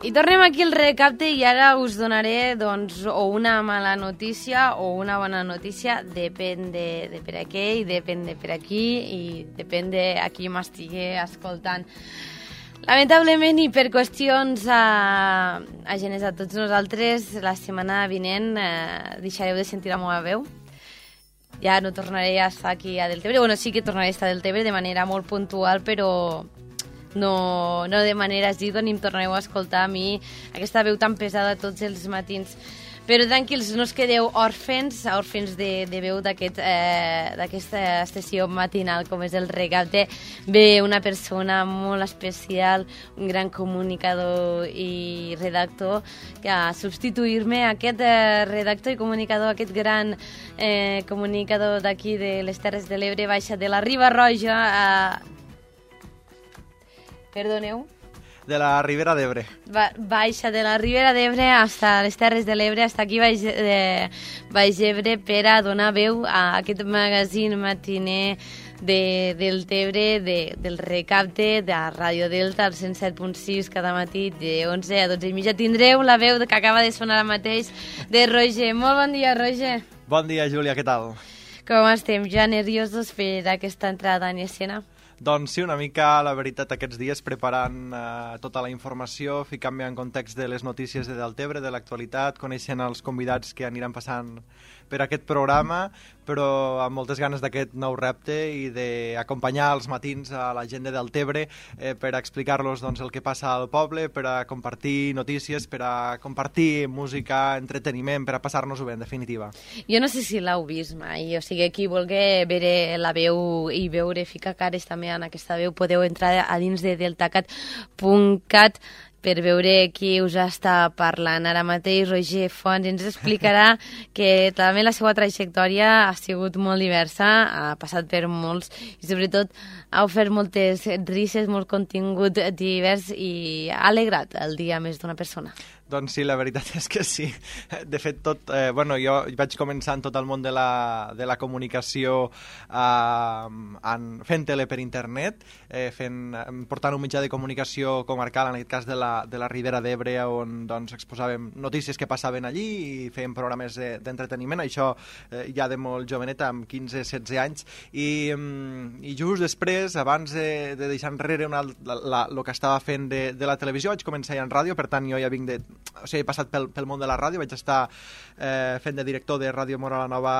I tornem aquí al recapte i ara us donaré doncs, o una mala notícia o una bona notícia, depèn de per a què i depèn de per aquí i depèn de a qui m'estigui escoltant. Lamentablement i per qüestions ajenes a tots nosaltres, la setmana vinent deixareu de sentir la meva veu. Ja no tornaré a estar aquí a Deltebre. Bueno, sí que tornaré a estar a Deltebre de manera molt puntual, però no de manera assídua ni em tornareu a escoltar a mi aquesta veu tan pesada tots els matins. Però tranquils, no us quedeu òrfens de veu d'aquesta estació matinal com és el Recapte. Ve una persona molt especial, un gran comunicador i redactor, que a substituir-me aquest redactor i comunicador, aquest gran comunicador d'aquí de les Terres de l'Ebre, baixa de la Riba Roja Perdoneu? De la Ribera d'Ebre. Baixa de la Ribera d'Ebre hasta les Terres de l'Ebre, hasta aquí Baix Ebre, per a donar veu a aquest magazín matiner del Tebre, del Recapte, de Ràdio Delta, al 107.6 cada matí, de 11 a 12 i mitja. Tindreu la veu que acaba de sonar ara mateix de Roger. Molt bon dia, Roger. Bon dia, Júlia, què tal? Com estem? Ja nerviosos per aquesta entrada en escena? Doncs sí, una mica, la veritat, aquests dies preparant tota la informació, ficant-me en context de les notícies de Deltebre, de l'actualitat, coneixent els convidats que aniran passant per aquest programa, però amb moltes ganes d'aquest nou repte i d'acompanyar els matins a la gent de Deltebre per a explicar-los doncs, el que passa al poble, per a compartir notícies, per a compartir música, entreteniment, per a passar-nos-ho bé, en definitiva. Jo no sé si l'heu vist mai, o sigui, qui vulgui veure la veu i veure, ficar cares també en aquesta veu, podeu entrar a dins de deltacat.cat per veure qui us està parlant. Ara mateix Roger Fons ens explicarà que també la seva trajectòria ha sigut molt diversa, ha passat per molts i sobretot ha ofert moltes risses, molt contingut divers i ha alegrat el dia més d'una persona. Doncs sí, la veritat és que sí. De fet, jo vaig començar en tot el món de la comunicació fent tele per internet, portant un mitjà de comunicació comarcal, en aquest cas de la Ribera d'Ebre, on doncs, exposàvem notícies que passaven allí i fèiem programes d'entreteniment, això ja de molt jovenet, amb 15-16 anys, i just després, abans de deixar enrere el que estava fent de la televisió, vaig començar ja en ràdio, per tant jo ja vinc he passat pel món de la ràdio, vaig estar fent de director de Ràdio Mora la Nova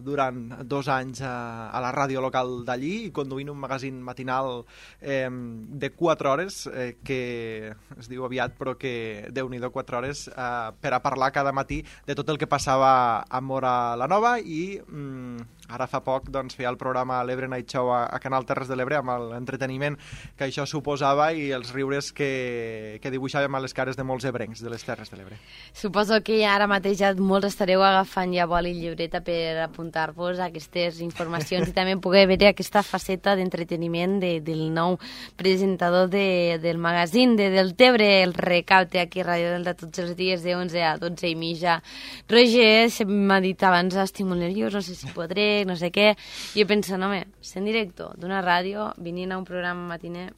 durant 2 anys a la ràdio local d'allí i conduint un magazín matinal de 4 hores, que es diu aviat, però que Déu-n'hi-do 4 hores, per a parlar cada matí de tot el que passava a Mora la Nova i ara fa poc doncs, feia el programa l'Ebre Night Show a Canal Terres de l'Ebre amb l'entreteniment que això suposava i els riures que dibuixàvem a les cares de molts ebrencs de les Terres de l'Ebre. Suposo que ara mateix ja molts estareu agafant ja boli i llibreta per apuntar-vos a aquestes informacions i també poder veure aquesta faceta d'entreteniment del nou presentador del magazín de Deltebre, el Recapte, aquí a Ràdio Delta tots els dies de 11 a 12 i mitja. Roger, m'ha dit abans, estic molt nerviós, no sé si podré, no sé què, i jo pensant, home, sent director d'una ràdio, venint a un programa matiner...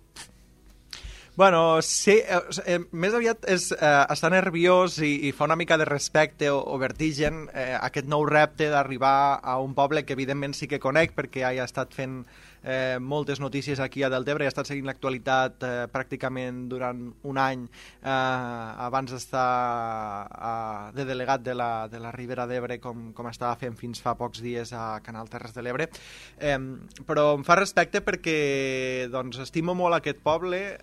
Bueno, sí, més aviat és estar nerviós i fa una mica de respecte o vertigen aquest nou repte d'arribar a un poble que evidentment sí que conec perquè ja he estat fent moltes notícies aquí a Deltebre, he estat seguint l'actualitat pràcticament durant un any abans d'estar de delegat de la Ribera d'Ebre com estava fent fins fa pocs dies a Canal Terres de l'Ebre, però em fa respecte perquè doncs, estimo molt aquest poble,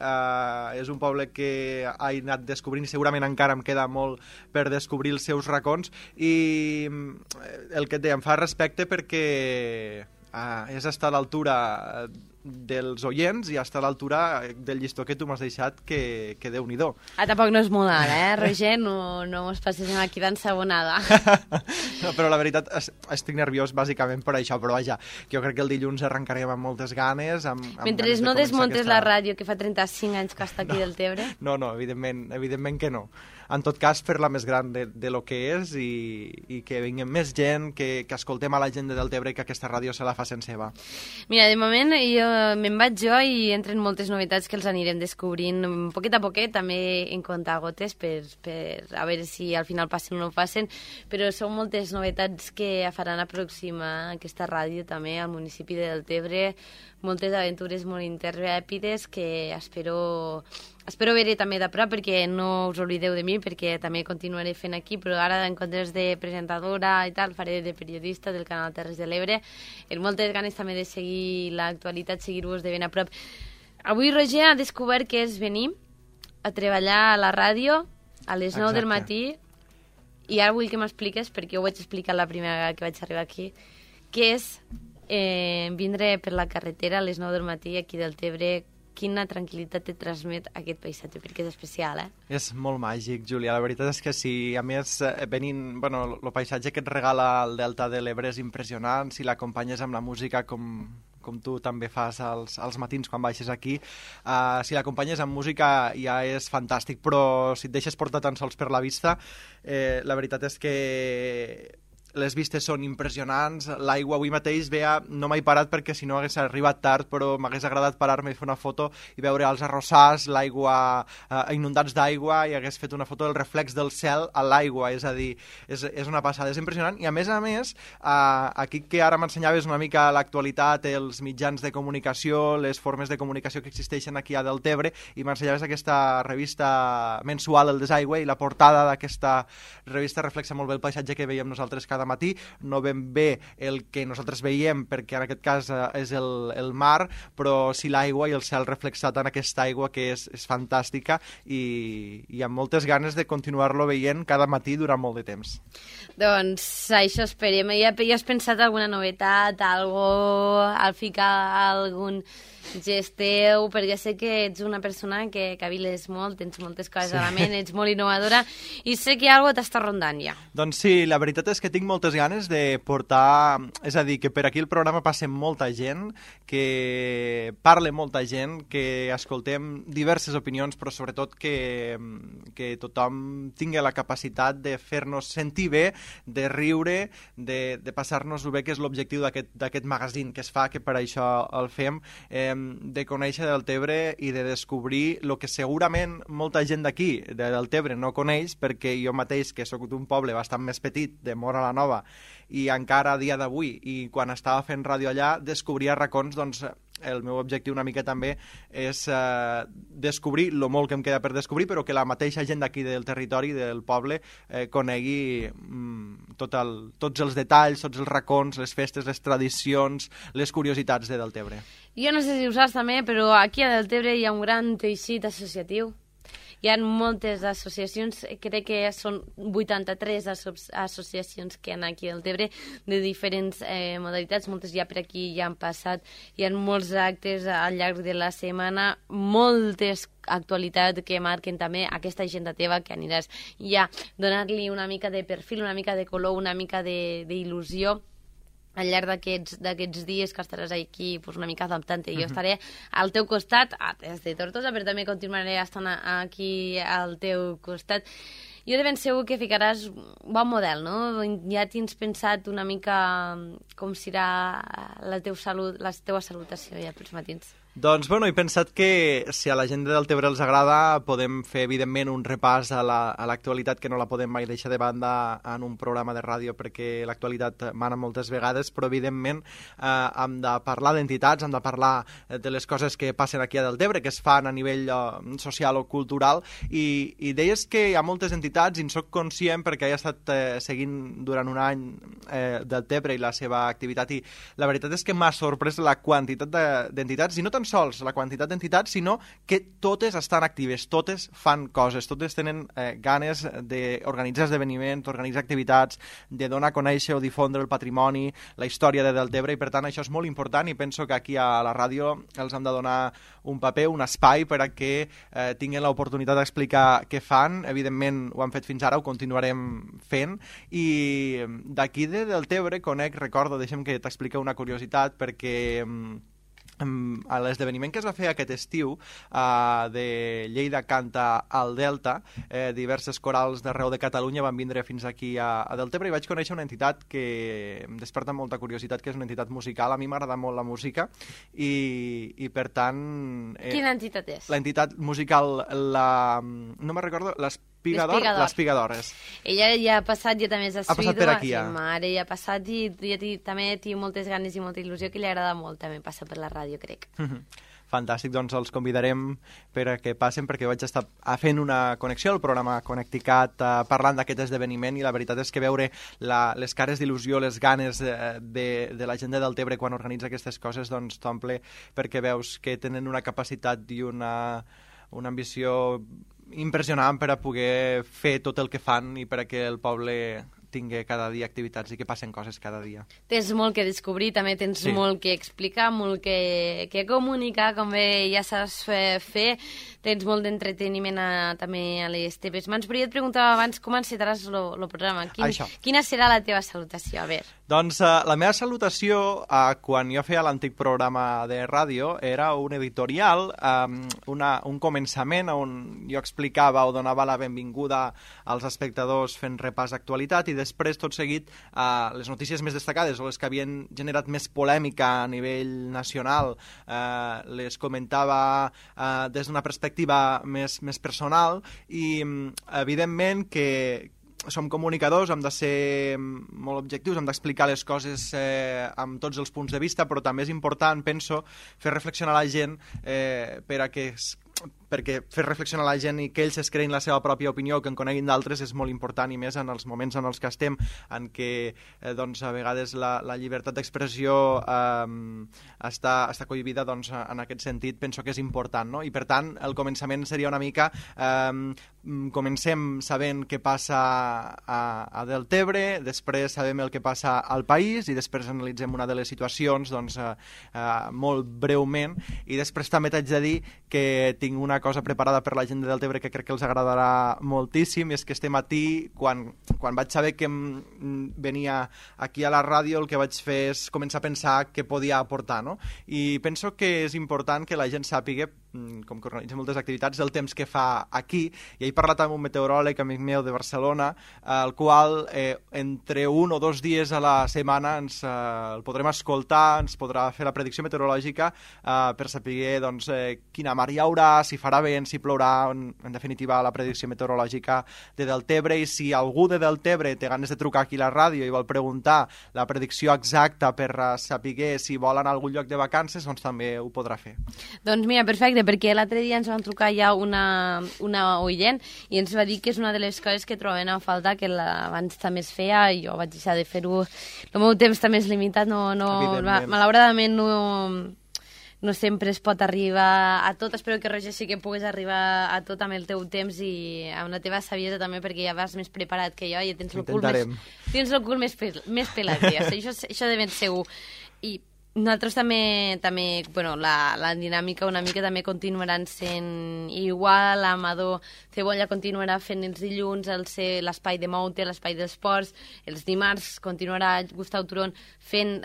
és un poble que he anat descobrint i segurament encara em queda molt per descobrir els seus racons i el que et deia, em fa respecte perquè és estar a l'altura dels oients i estar a l'altura del llistó que tu m'has deixat que Déu-n'hi-do. Tampoc no és molt ara, Roger? No us passem aquí d'ensabonada. No, però la veritat estic nerviós bàsicament per això, però vaja, jo crec que el dilluns arrencarem amb moltes ganes. Mentre no desmontes la ràdio que fa 35 anys que està aquí del Tebre? No, evidentment que no. En tot cas, fer-la més gran de lo que és i que vinguem més gent, que escoltem a la gent de Deltebre i que aquesta ràdio se la facin seva. Mira, de moment jo me'n vaig jo i entren moltes novetats que els anirem descobrint poquet a poquet, també en comptagotes per a veure si al final passen o no passen, però són moltes novetats que faran aproximar aquesta ràdio també al municipi de Deltebre, moltes aventures molt intrèpides que espero veure també de prop, perquè no us oblideu de mi, perquè també continuaré fent aquí, però ara en comptes de presentadora i tal, faré de periodista del canal Terres de l'Ebre, amb moltes ganes també de seguir l'actualitat, seguir-vos de ben a prop. Avui Roger ha descobert que és venir a treballar a la ràdio a les 9 del matí, i ara vull que m'expliques, perquè ho vaig explicar la primera vegada que vaig arribar aquí, que és vindre per la carretera a les 9 del matí aquí del Tebre. Quina tranquil·litat te transmet aquest paisatge, perquè és especial, És molt màgic, Júlia. La veritat és que sí. A més, venint... Bueno, el paisatge que et regala el Delta de l'Ebre és impressionant. Si l'acompanyes amb la música com tu també fas als matins quan baixes aquí, si l'acompanyes amb música ja és fantàstic, però si et deixes portar tan sols per la vista, la veritat és que les vistes són impressionants, l'aigua avui mateix no m'he parat perquè si no hagués arribat tard, però m'hagués agradat parar-me i fer una foto i veure els arrossars, l'aigua, inundats d'aigua, i hagués fet una foto del reflex del cel a l'aigua, és a dir, és una passada, és impressionant, i a més, aquí que ara m'ensenyaves una mica l'actualitat, els mitjans de comunicació, les formes de comunicació que existeixen aquí a Deltebre, i m'ensenyaves aquesta revista mensual, El Desaigüe, i la portada d'aquesta revista reflexa molt bé el paisatge que veiem nosaltres cada matí, no ben bé el que nosaltres veiem, perquè en aquest cas és el mar, però sí l'aigua i el cel reflexat en aquesta aigua que és fantàstica i amb moltes ganes de continuar-lo veient cada matí durant molt de temps. Doncs això esperem. Ja has pensat alguna novetat, al ficar algun gest teu, perquè sé que ets una persona que caviles molt, tens moltes coses a la ment, ets molt innovadora, i sé que alguna t'està rondant ja. Doncs sí, la veritat és que tinc moltes ganes de portar... És a dir, que per aquí el programa passa molta gent, que parla molta gent, que escoltem diverses opinions, però sobretot que tothom tingui la capacitat de fer-nos sentir bé, de riure, de passar-nos-ho bé, que és l'objectiu d'aquest magazín que es fa, que per això el fem, de conèixer Deltebre i de descobrir el que segurament molta gent d'aquí, de Deltebre, no coneix, perquè jo mateix, que sóc d'un poble bastant més petit, de Móra la Nova, i encara a dia d'avui, i quan estava fent ràdio allà, descobria racons, doncs el meu objectiu una mica també és descobrir el molt que em queda per descobrir, però que la mateixa gent d'aquí del territori, del poble, conegui tots els detalls, tots els racons, les festes, les tradicions, les curiositats de Deltebre. Jo no sé si ho saps també, però aquí a Deltebre hi ha un gran teixit associatiu. Hi ha moltes associacions, crec que són 83 associacions que hi ha aquí a Deltebre, de diferents modalitats, moltes ja per aquí ja han passat, hi ha molts actes al llarg de la setmana, moltes actualitats que marquen també aquesta agenda teva que aniràs ja donar-li una mica de perfil, una mica de color, una mica d'il·lusió al llarg d'aquests dies que estaràs aquí una mica adaptant-te. Jo estaré al teu costat, des de Tortosa, però també continuaré estant aquí al teu costat. Jo de ben segur que ficaràs bon model, no? Ja tens pensat una mica com serà la teva salutació ja pels matins. Doncs, bueno, he pensat que si a la gent de Deltebre els agrada podem fer, evidentment, un repàs a l'actualitat, que no la podem mai deixar de banda en un programa de ràdio, perquè l'actualitat mana moltes vegades, però, evidentment, hem de parlar d'entitats, hem de parlar de les coses que passen aquí a Deltebre, que es fan a nivell social o cultural, i deies que hi ha moltes entitats, i en soc conscient perquè he estat seguint durant un any Deltebre i la seva activitat, i la veritat és que m'ha sorprès la quantitat d'entitats, i no tan sols la quantitat d'entitats, sinó que totes estan actives, totes fan coses, totes tenen ganes d'organitzar esdeveniments, d'organitzar activitats, de donar a conèixer o difondre el patrimoni, la història de Deltebre, i per tant això és molt important, i penso que aquí a la ràdio els hem de donar un paper, un espai per a que tinguin l'oportunitat d'explicar què fan. Evidentment ho han fet fins ara, ho continuarem fent, i d'aquí de Deltebre conec, recordo, deixa'm que t'expliqui una curiositat, perquè a l'esdeveniment que es va fer aquest estiu de Lleida canta al Delta, diverses corals d'arreu de Catalunya van vindre fins aquí a Deltebre i vaig conèixer una entitat que em desperta molta curiositat, que és una entitat musical. A mi m'agrada molt la música i per tant... Quina entitat és? L'entitat musical, no me'n recordo, l'Espigadores. Ella ja ha passat, ja també és ha passat per aquí, ja. Mare, ja ha passat i també té moltes ganes i molta il·lusió, que li agrada molt també passar per la ràdio, crec. Fantàstic, doncs els convidarem per a que passen, perquè vaig estar fent una connexió al programa Connecticut parlant d'aquest esdeveniment, i la veritat és que veure les cares d'il·lusió, les ganes de la gent de Deltebre quan organitza aquestes coses, doncs t'omple, perquè veus que tenen una capacitat i una ambició impressionant per a poder fer tot el que fan i per a que el poble tingui cada dia activitats i que passen coses cada dia. Tens molt que descobrir, també tens molt que explicar, molt que comunicar, com bé ja saps fer, tens molt d'entreteniment també a les teves mans, però jo et preguntava abans com encetaràs el programa. Quina serà la teva salutació? A veure. Doncs la meva salutació, quan jo feia l'antic programa de ràdio, era un editorial, un començament on jo explicava o donava la benvinguda als espectadors fent repàs d'actualitat, i després, tot seguit, les notícies més destacades o les que havien generat més polèmica a nivell nacional les comentava des d'una perspectiva més personal, i evidentment que som comunicadors, hem de ser molt objectius, hem d'explicar les coses amb tots els punts de vista, però també és important, penso, fer reflexionar la gent perquè fer reflexionar la gent i que ells es creïn la seva pròpia opinió, que en coneguin d'altres, és molt important, i més en els moments en els que estem, en què doncs, a vegades la llibertat d'expressió està cohibida, doncs, en aquest sentit penso que és important, no? I per tant el començament seria una mica comencem sabent què passa a Deltebre, després sabem el que passa al país i després analitzem una de les situacions, doncs, molt breument, i després també t'haig de dir que tinc una cosa preparada per la gent de Deltebre que crec que els agradarà moltíssim, i és que este matí, quan vaig saber que venia aquí a la ràdio, el que vaig fer és començar a pensar què podia aportar, no? I penso que és important que la gent sàpiga, com que organitza moltes activitats, el temps que fa aquí, i he parlat amb un meteoròleg amic meu de Barcelona, el qual entre 1 o 2 dies a la setmana el podrem escoltar, ens podrà fer la predicció meteorològica per saber doncs, quina mar hi haurà, si farà vent, si plourà, en definitiva la predicció meteorològica de Deltebre. I si algú de Deltebre té ganes de trucar aquí a la ràdio i vol preguntar la predicció exacta per saber si vol anar a algun lloc de vacances, doncs també ho podrà fer. Doncs mira, perfecte, perquè l'altre dia ens van trucar ja una oient i ens va dir que és una de les coses que trobaven a falta, que abans també es feia, i jo vaig deixar de fer-ho. El meu temps també és limitat, malauradament no sempre es pot arribar a tot. Espero que, Roger, sí que puguis arribar a tot amb el teu temps i amb la teva saviesa també, perquè ja vas més preparat que jo i tens el cul més pelat. Això de ben segur. I nosaltres també bueno, la dinàmica una mica també continuaran sent igual. Amador Cebolla continuarà fent els dilluns l'espai de Moute, l'espai d'esports. Els dimarts continuarà Gustau Turón fent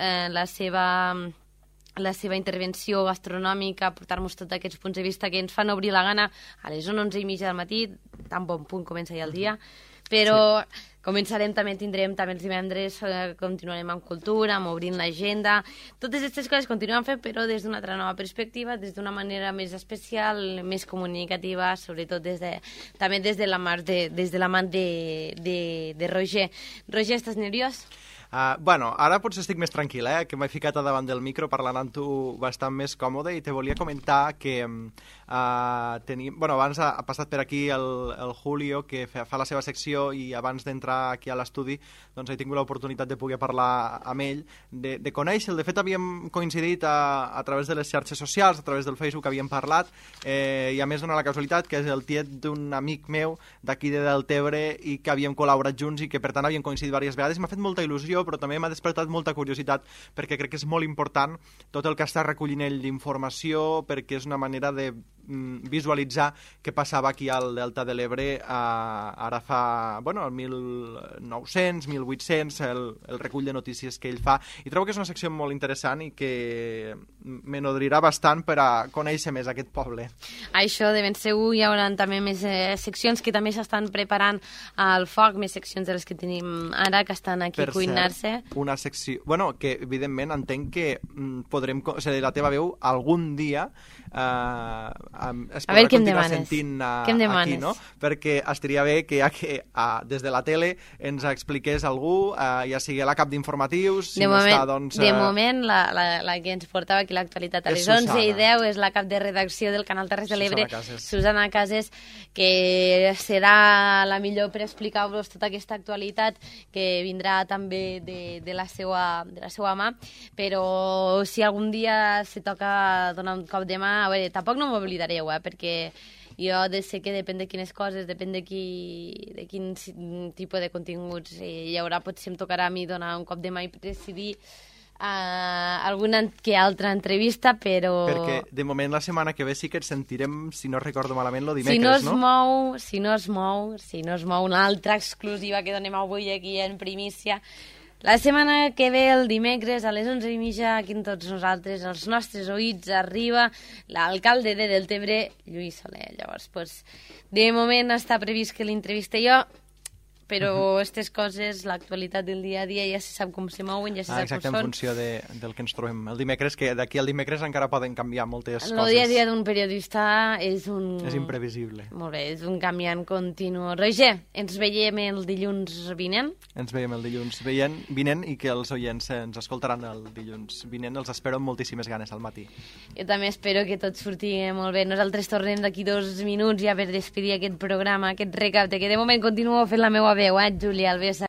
la seva intervenció gastronòmica, portar-nos tots aquests punts de vista que ens fan obrir la gana a les 11:30 del matí, tan bon punt comença ja el dia, però començarem, tindrem també els divendres, continuarem amb cultura, amb obrint l'agenda, totes aquestes coses continuem fent, però des d'una altra nova perspectiva, des d'una manera més especial, més comunicativa, sobretot també des de la mà de Roger. Roger, estàs nerviós? Bueno, ara potser estic més tranquil, que m'he ficat a davant del micro parlant amb tu bastant més còmode, i te volia comentar que abans ha passat per aquí el Julio, que fa la seva secció, i abans d'entrar aquí a l'estudi doncs he tingut l'oportunitat de poder parlar amb ell, de conèixer-lo. De fet, havíem coincidit a través de les xarxes socials, a través del Facebook havíem parlat, i a més dona la casualitat que és el tiet d'un amic meu d'aquí de Deltebre i que havíem col·laborat junts i que per tant havíem coincidit diverses vegades, i m'ha fet molta il·lusió, però també m'ha despertat molta curiositat, perquè crec que és molt important tot el que està recollint ell d'informació, perquè és una manera de visualitzar què passava aquí al Delta de l'Ebre ara fa, bueno, el 1900, 1800, el recull de notícies que ell fa, i trobo que és una secció molt interessant i que me nodrirà bastant per a conèixer més aquest poble. Això de ben segur hi haurà també més seccions que també s'estan preparant al foc, més seccions de les que tenim ara, que estan aquí a cuinar-se. Una secció... Bueno, que evidentment entenc que podrem... O sigui, la teva veu algun dia es podrà continuar sentint aquí, no? Perquè estaria bé que des de la tele ens expliqués algú, ja sigui la cap d'informatius... De moment, la que ens portava aquí l'actualitat a les 11:10 és la cap de redacció del Canal Terres de l'Ebre, Susana Cases, que serà la millor per explicar-vos tota aquesta actualitat, que vindrà també de la seva mà, però si algun dia se toca donar un cop de mà, a veure, tampoc no m'oblidareu, perquè jo sé que depèn de quines coses, depèn de quin tipus de continguts hi haurà, potser em tocarà a mi donar un cop de mà i decidir alguna que altra entrevista, però... Perquè de moment la setmana que ve sí que et sentirem, si no recordo malament, lo dimecres, no? Si no es mou una altra exclusiva que donem avui aquí en primícia, la setmana que ve, el dimecres, a les 11:30, aquí amb tots nosaltres, als nostres oïts, arriba l'alcalde de Deltebre, Lluís Soler. Llavors, de moment està previst que l'entreviste jo, però aquestes coses, l'actualitat del dia a dia, ja se sap com se mouen, ja se sap com són. Exacte, en funció del que ens trobem el dimecres, que d'aquí al dimecres encara poden canviar moltes coses. El dia a dia d'un periodista és imprevisible. Molt bé, és un canviant continu. Roger, ens veiem el dilluns vinent? Ens veiem el dilluns vinent i que els oients ens escoltaran el dilluns vinent. Els espero amb moltíssimes ganes al matí. Jo també espero que tot surti molt bé. Nosaltres tornem d'aquí 2 minuts ja per despedir aquest programa, aquest recapte, que de moment continuo fent la meva veu, Júlia Alves.